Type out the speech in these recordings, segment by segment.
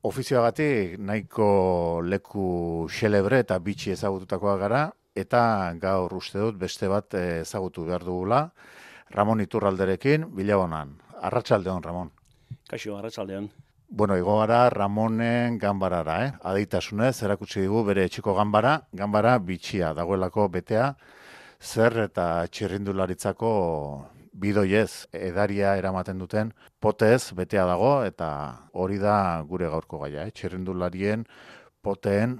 Ofizioagatik nahiko leku xelebre eta bitxi ezagututakoa gara, eta gaur uste dut beste bat ezagutu behar dugula, Ramon Iturralderekin, Bilabonan. Arratsaldeon, Ramon. Kaixo, arratsaldean. Bueno, igo gara Ramonen ganbarara, Adeitasunez, erakutsi digu bere etxeko ganbara bitxia, dagoelako betea, zer eta txirrindularitzako bidoiez edaria eramaten duten potez betea dago, eta hori da gure gaurko gaia, txirrindularien poteen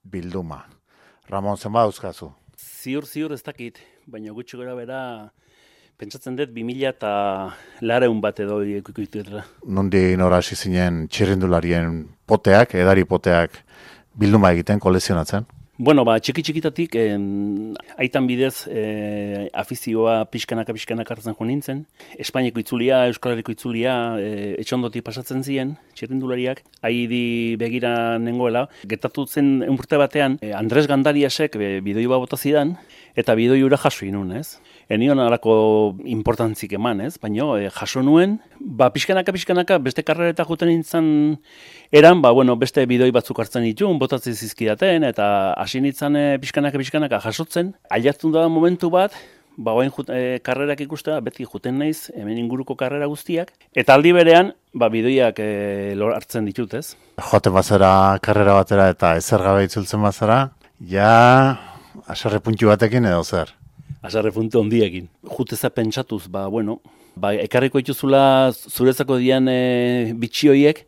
bilduma. Ramon, zenba dauzkazu? Ziur ez dakit, baina gutxi gora bera pentsatzen dut 2000 bat edo ikuituetara. Nundi nora hasi zinen txirrindularien poteak, edari poteak bilduma egiten, kolekzionatzen? Bueno, txiki-txikitatik aitan bidez afizioa pixkanaka hartzen jo nintzen. Espainiako itzulia, Euskal Herriko itzulia etxondotik pasatzen ziren, txirrindulariak. Haidi begira nengoela. Gertatu zen urte batean, Andres Gandariasek bidoi bat bota zidan, eta bidoi hura jaso inun, ez? Enion alako importantzik eman, ez? Baina jaso nuen, pixkanaka beste karrereta juten nintzen eran, beste bidoi batzuk hartzen ditun, botatzen zizkidaten, eta hasi nintzen pixkanaka jasotzen. Ailatzen da momentu bat, oain karrerak ikustea, beti juten naiz, hemen inguruko karrera guztiak, eta aldi berean, bidoiak hartzen ditut, ez? Joaten bazara karrera batera eta ezer gabe itzultzen bazara, ja haserre puntu batekin edo zer? Haserre puntu ondiekin. Juteza pentsatuz, ekarriko dituzula zuretzako dian bitxi hoiek,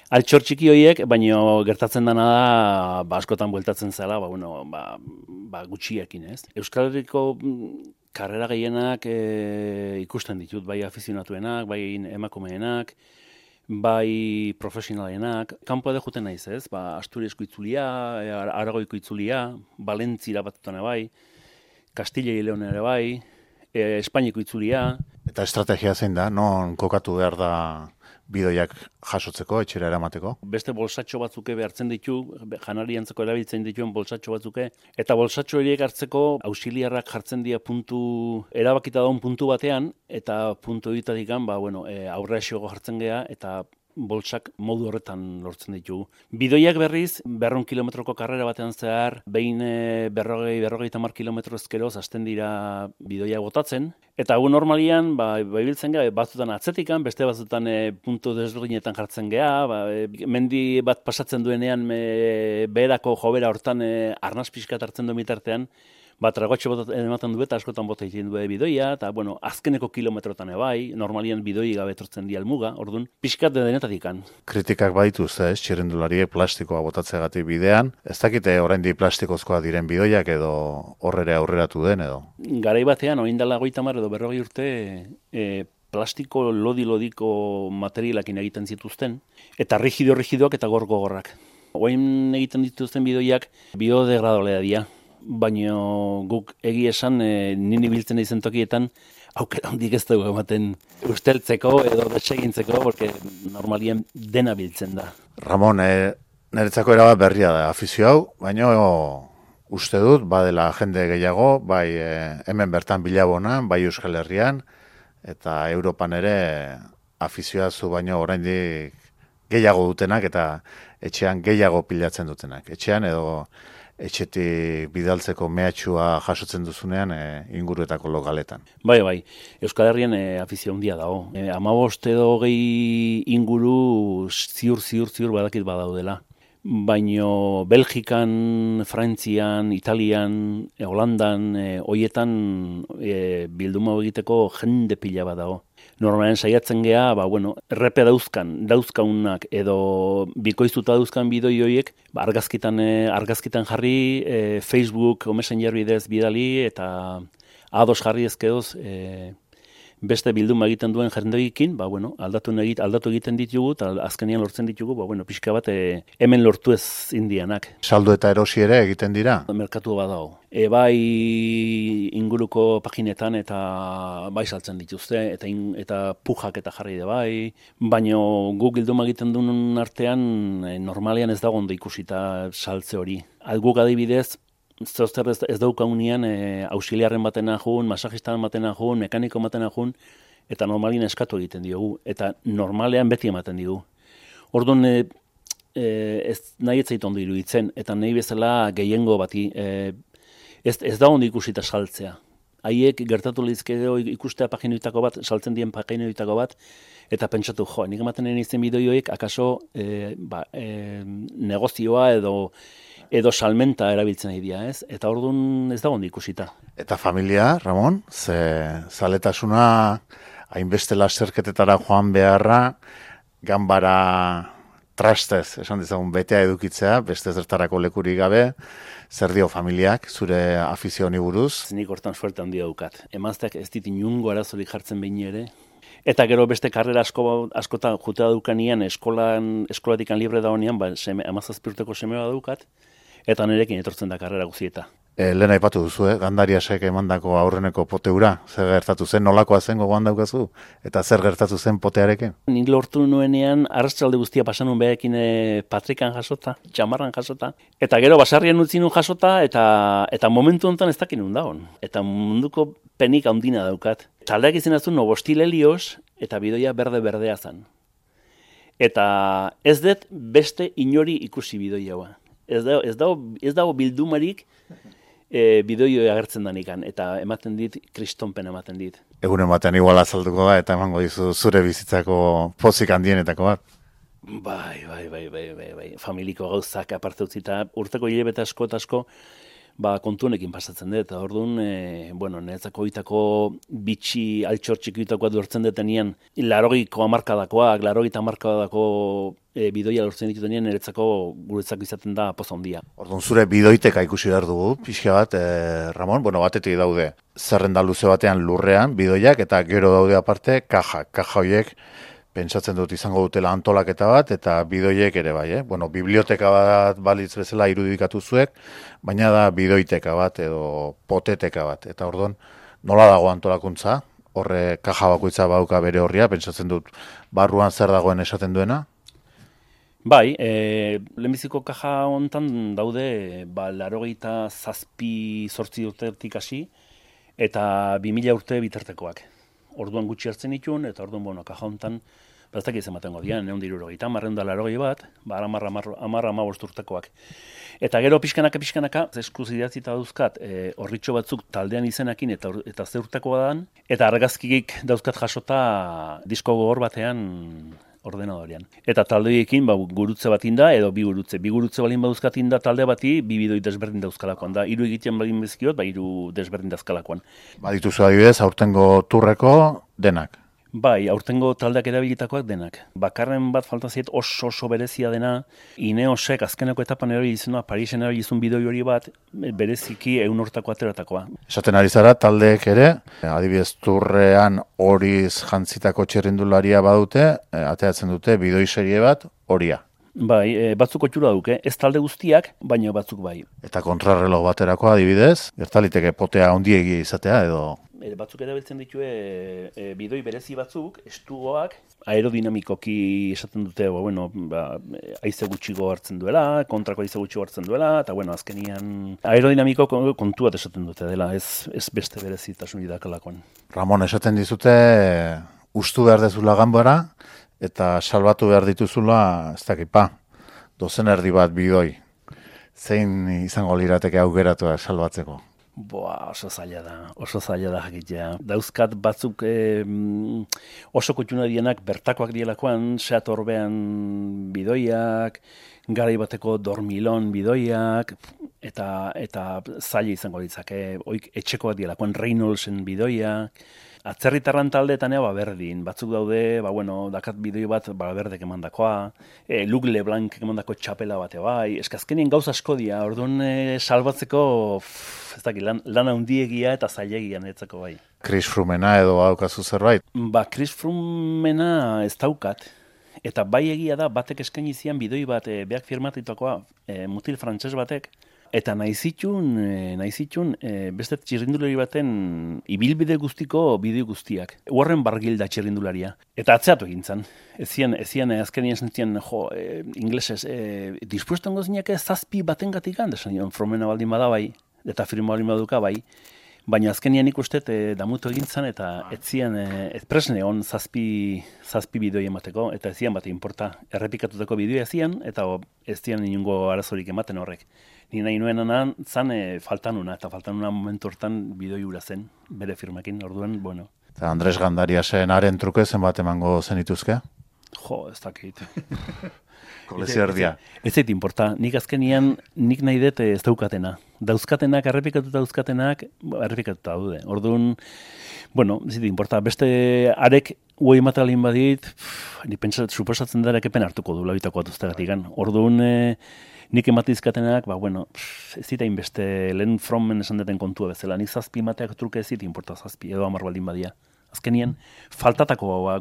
altxor txiki hoiek, baina gertatzen dena da, askotan bueltatzen zela, gutxiekin, ez? Euskal Herriko karrera gehienak ikusten ditut, bai afizionatuenak, bai emakumeenak, bai profesionalenak. Kanpo edo juten naiz, ez? Asturiasko itzulia, Aragoiko itzulia, Valentzira batutan bai, Kastilla y León ere bai, Espainiako itzulia. Eta estrategia zein da, non kokatu behar da bidoiak jasotzeko, etxera eramateko? Beste bolsatxo batzuke behartzen ditu, janari antzeko erabiltzen dituen bolsatxo batzuke, eta bolsatxo horiek hartzeko auxiliarrak jartzen dira erabakita daun puntu batean, eta puntu horitatik aurre esiogo jartzen gea, eta bolsak modu horretan lortzen ditugu. Bidoiak berriz, 200 kilometroko karrera batean zehar, behin 40 kilometro ezkeroz hasten dira bidoiak botatzen, eta gu normalian, ibiltzen gea, batzutan atzetikan, beste batzutan puntu desberdinetan jartzen gea, mendi bat pasatzen duenean beherako jobera hortan arnaz pixkat hartzen duen bitartean, tragotxe ematen du eta askotan bota egiten du bidoia, eta azkeneko kilometrotan ebai, normalian bidoi gabe etortzen di almuga, orduan, pixkat denetatikan. Kritikak badituz, txirrindulariek plastikoa botatzeagatik bidean, ez dakite oraindik plastikozkoa diren bidoiak edo horrere aurreratu den edo? Garai batean, oindala 30 edo 40 urte, plastiko lodi-lodiko materialakin egiten zituzten, eta rigidoak eta gogorrak. Oain egiten dituzten bidoiak biodegradablea dira. Baina guk egi esan nini biltzen izen tokietan aukera handik ez dugu ematen usteltzeko edo desegintzeko, porque normalien dena biltzen da. Ramon, niretzako erabat berria da afizio hau, baina uste dut, badela jende gehiago, bai hemen bertan Bilabonan, bai Euskal Herrian, eta Europan ere afizioa zu baino oraindik gehiago dutenak eta etxean gehiago pilatzen dutenak. Etxean edo etxetik bidaltzeko mehatxua jasotzen duzunean inguruetako lokaletan. Bai, Euskal Herrian afizio handia dago. 15 edo 20 inguru ziur badakit badaudela. Baino Belgikan, Frantzian, Italian, Holandan, hoietan bilduma egiteko jende pila bat dago. Normalen saiatzen gea, errepe dauzkaunak edo bikoiztuta dauzkan bidoi horiek, argazkitan jarri, Facebook o Messenger bidez bidali eta ados jarri ezkedoz beste bilduma egiten duen jendeekin, aldatu egiten ditugu eta azkenean lortzen ditugu, pixka bat hemen lortu ez indianak. Saldu eta erosi ere egiten dira? Merkatu bat dago. Bai inguruko paginetan eta bai saltzen dituzte, eta pujak eta jarri da bai, baina guk bilduma egiten duen artean normalean ez dago ondo ikusita saltze hori. Guk adibidez, Zozter ez daukagunean auxiliarren baten ajun, masajistan baten ajun, mekaniko baten ajun, eta normalin eskatu egiten diogu, eta normalean beti ematen diogu. Orduan, ez nahi ez zait ondo iruditzen, eta nahi bezala gehiengo bati, ez da ondo ikusita saltzea. Haiek gertatu lehizkero ikustea paginoitako bat, saltzen dien paginoitako bat, eta pentsatu, nik ematen izan bideoiek, akaso negozioa edo salmenta erabiltzen nahi dira, ez? Eta orduan ez da ondo ikusita. Eta familia, Ramon, zaletasuna hainbeste lasterketetara joan beharra, ganbara trastez, esan dizagun, betea edukitzea, beste zertarako lekurik gabe, zer dio familiak, zure afizio honi buruz? Nik hortan suerte handia daukat. Emazteak ez dit inungo arazorik jartzen behin ere. Eta gero beste karrera askotan jutea dukanean, eskolatik libre da honean, 17 urteko semea daukat, eta nirekin etortzen da karrera guzieta. Lehen aipatu duzu, Gandariasek emandako aurreneko poteura, zer gertatu zen, nolakoa zen gogoan daukazu, eta zer gertatu zen potearekin? Nik lortu nuenean, arratsalde guztia pasanun behekin patrikan jasota, txamarran jasota, eta gero basarrian utzi nun jasota, eta momentu honetan ez dakin dagoen. Eta munduko penik handina daukat. Taldeak izan azun Nobostil Helios, eta bidoia berde-berdea zan. Eta ez dut beste inori ikusi bidoia. Ez dago bildumarik, bideoio agertzen danikan, eta ematen dit, kristonpen ematen dit. Egunen batean igual azalduko da, eta emango dizu zure bizitzako pozik handienetako bat. Bai. Familiko gauzak aparte utzita, urteko hilabete asko, kontunekin pasatzen dut, eta orduan, niretzako itako bitxi altxortxik itakoa duertzen detenean, 80ko hamarkadakoak, 80 hamarkadako bidoia lortzen ditutenean, niretzako guretzako izaten da poza handia. Orduan zure bidoiteka ikusi behar dugu, pixka bat, Ramon, batetik daude, zerrenda luze batean lurrean, bidoiak, eta gero daude aparte, kaja horiek, pentsatzen dut izango dutela antolaketa bat, eta bidoiek ere bai, biblioteka bat balitz bezala irudikatu zuek, baina da bidoiteka bat edo poteteka bat. Eta orduan, nola dago antolakuntza? Horre kaja bakoitza bauka bere horria, pentsatzen dut barruan zer dagoen esaten duena? Bai, lehenbiziko kaja hontan daude 87 urtetik hasi, eta 2000 urte bitartekoak. Orduan gutxi hartzen ditun, eta orduan, kaja hontan, baztak izan baten godian, 160, 180 bat, 10 urtekoak. Eta gero pixkanaka, eskuzidatzita dauzkat, horritxo batzuk taldean izenakin eta ze urtekoa dan, eta argazkikik dauzkat jasota disko gogor batean ordenadorean. Eta taldeekin gurutze bat inda, edo bi gurutze balin baduzkat inda talde bati, bi bidoi desberdin dauzkalakoan da. 3 egiten balin bezkiot, 3 desberdin dauzkalakoan. Dituzu adibidez, aurtengo turreko denak. Bai, aurtengo taldeak erabilitakoak denak. Bakarren bat falta zait oso berezia dena, Ineosek azkeneko etapan erabilizuna, Parisen erabilizun bidoi hori bat, bereziki 100 hortako ateratakoa. Esaten ari zara, taldeek ere, adibidez turrean horiz jantzitako txerrindularia badute, ateratzen dute bidoi serie bat horia. Bai, batzuk otxura duke, ez talde guztiak, baina batzuk bai. Eta kontrarreloj baterako adibidez, gertaliteke potea handiegi izatea edo... Batzuk erabiltzen ditue bidoi berezi batzuk, estugoak, aerodinamikoki esaten dute, haize gutxigo hartzen duela, kontrako haize gutxigo hartzen duela, eta azkenian aerodinamiko kontuat esaten dute dela, ez beste berezitasun idakalakoan. Ramon, esaten dizute, ustu behar dezula ganbara, eta salbatu behar dituzula, ez dakipa, 2 erdi bat bidoi. Zein izango lirateke aukeratua salbatzeko? Oso zaila da jakitea. Dauzkat batzuk oso kutxuna dienak bertakoak dielakoan, Seat Orbean bidoiak, garai bateko Dormilon bidoiak, eta zaila izango ditzake, etxekoak dielakoan Reynoldsen bidoiak, atzerritarran taldeetan berdin, batzuk daude, dakat bidoi bat berdek emandakoa, Luc Leblanc emandako txapela bate bai, eskazkenien gauz asko dira, orduan salbatzeko, ez dakit, lan handiegia eta zailegia netzako bai. Chris Froomena edo daukazu zerbait? Chris Froomena ez daukat, eta bai egia da, batek eskaini zian bidoi bat, beak firmatitakoa, mutil frantses batek, eta nahi zitun beste txirrindulari baten ibilbide guztiko bideo guztiak. Warren Barguil da txirrindularia. Eta atzeatu egin zan. Ezian azkenien zentzien, inglesez, dispuesto ongo zinak 7 baten gatikan, desan Fromena baldin bada bai, eta firma baldin baduka bai, Baina azkenian ikuste damutu egin zen eta etzian presne on zazpi bidoi emateko eta ez zian bat inporta. Errepikatutako bideoa zian eta ez zian inungo arazorik ematen horrek. Ni nahi nuenan zan faltanuna eta faltanuna momentu hortan bidoi hura zen bere firmakin, orduan, bueno. Eta Andres Gandariasen haren truke zenbat emango zenituzke? Jo, ez dakit. Kolezio erdia. Ez zait inporta. Nik azkenian, nik nahi dut ez daukatena. Dauzkatenak, errepikatuta dauzkatenak, errepikatuta daude. Orduan, bueno, ez zait inporta. Beste arek uei matalin badit, ni suposatzen dara ekepen hartuko du labitako atuztegatik. Orduan, nik ematizkatenak, bueno, ez zita inbeste lehen fromen esan deten kontua bezala. Nik zazpi mateak truke ez zita inporta zazpi, edo 10 baldin badia. Azkenien, faltatako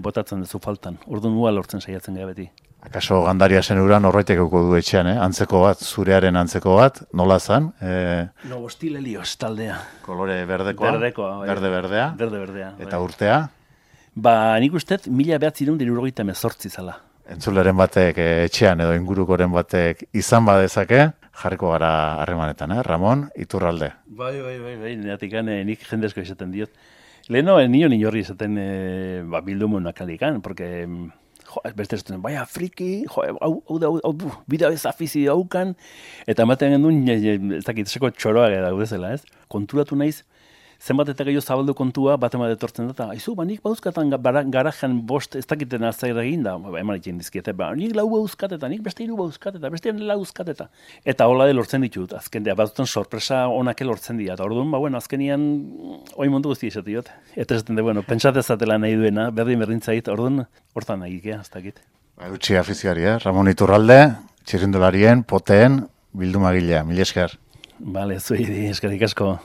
botatzen duzu faltan. Orduan ua lortzen saiatzen gara beti. Akaso Gandariasen ura norbaitekeko du etxean, antzeko bat, zurearen antzeko bat, nola zan? No, Hostil Helios taldea. Kolore berdekoa? Berdekoa. Berde-berdea? Berde-berdea. Eta urtea? Nik ustez, 1978 zala. Entzuleren batek etxean edo ingurukoren batek izan badezake, jarriko gara harremanetan, Ramon Iturralde. Bai, neatik nik jendezko izaten diot. Leheno, nio horri izaten bildumonak alikan, porque beste ez duen, baina friki, bidea ez afizi daukan, eta ematen gendun, ez dakit, seko txoroa daudezela, ez? Konturatu naiz, zenbat eta gehiago zabaldu kontua, bat ema detortzen dut, aizu, nik bauzkatan garajan bost, ez dakiten azter egin da, eman itxen dizkiete, nik lau bauzkateta, nik beste hiru bauzkateta, beste lau bauzkateta. Eta hola de lortzen ditut, azken dira, batzutan sorpresa onak lortzen dira, eta orduan, azkenian, oi mundu guzti esatiot. Eta esaten de, pentsatezatela nahi duena, berdintzait, orduan, hortan nahi ikea, ez dakit. Utsi afizioari, Ramon Iturralde, txirrindularien, poteen, bildumagilea, mila esker. Bale, zuei, eskerik asko.